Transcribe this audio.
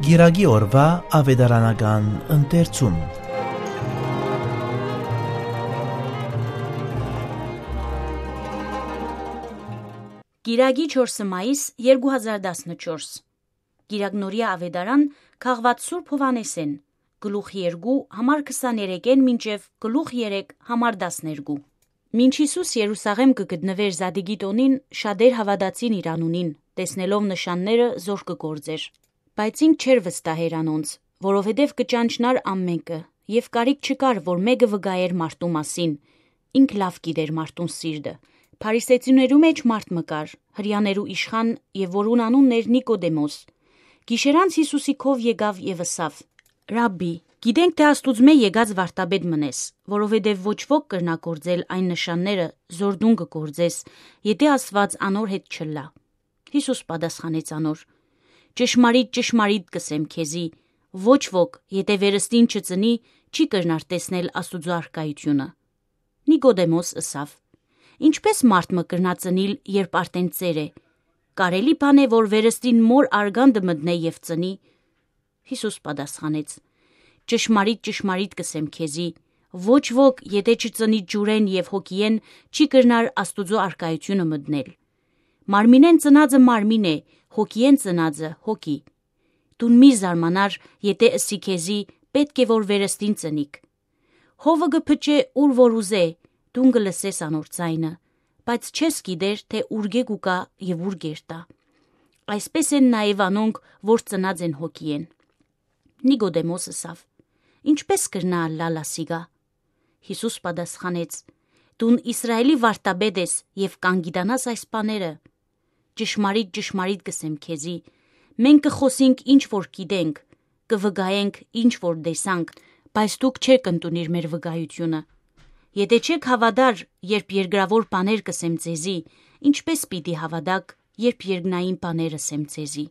Գիրագի օրվա ավետարանական ընթերցում։ Գիրագի 4 մայիս 2014 Գիրագնորիա ավետարան քաղված Սուրբ Հովանեսեն գլուխ 2 համար 23-ն մինչև գլուխ 3 համար 12 Մինչ Հիսուս Երուսաղեմ կգտնվեր Զադիգի տոնին, շատեր հավատացին իր անունին, տեսնելով նշանները զոր կգործեր։ Բայց ինք չէր վստահեր անոնց, որովհետև կճանչնար ամենքը, եւ կարիք չկար, որ մեկը վգայեր մարդու մասին։ Ինք լավ գիտեր մարդուն սիրտը։ Փարիսեցիներու մեջ մարդ մկար, հրյաներու իշխան եւ որուն անունն էր Նիկոդեմոս։ Գիշերանց Հիսուսի քով եկավ եւ ըսավ. «Ռաբբի, գիտենք թե Աստուծմե եկած վարտաբեդ մնես, որովհետև ոչ ոք կրնա գործել այն նշանները, զոր դուն կգործես, եթե Աստված անոր հետ չլա»։ Հիսուս պատասխանեց անոր. «Ճշմարիտ, ճշմարիտ կսեմ քեզի, ոչ ոք, եթե վերստին չծնի, չի կրնար տեսնել Աստուծո առկայությունը»։ Նիկոդեմոս ըսավ. «Ինչպես մարդ մը կրնա ծնիլ, երբ արդեն ծեր է։ Կարելի բան է, որ վերստին մոր արգանդը մտնե եւ ծնի»։ Հիսուս պատասխանեց. «Ճշմարիտ, ճշմարիտ կսեմ քեզի, ոչ ոք, եթե չծնի ջուրեն եւ հոգիեն, չի կրնար Աստուծո առկայությունը մտնել։ Մարմինեն ծնածը մարմին է, հոգիեն ծնածը հոգի։ Դուն մի զարմանար, եթե ըսի քեզի, պետք է որ վերստին ծնիք։ Հովը կփչե ուր որ ուզե, դուն կլսես անոր ձայնը, բայց չես գիտեր, թե ուր գուկա եւ ուր գերտա։ Այսպես են նաեւ անոնք, որ ծնած են հոգիեն»։ Նիկոդեմոս ըսավ. «Ինչպես կրնա ալլալ ասիգա»։ Հիսուս պատասխանեց. «Դուն Իսրայելի վարտաբեդ ես եւ կանգիտանաս այս բաները։ Ճշմարիտ, ճշմարիտ կսեմ քեզի, մենք կխոսենք ինչ որ գիտենք, կվգայենք ինչ որ տեսանք, բայց դուք չեք ընդունիր մեր վգայությունը։ Եթե չեք հավատար, երբ երկրավոր բաներ կսեմ ձեզի, ինչպես պիտի հավատաք, երբ երկնային բաներ ասեմ ձեզի»։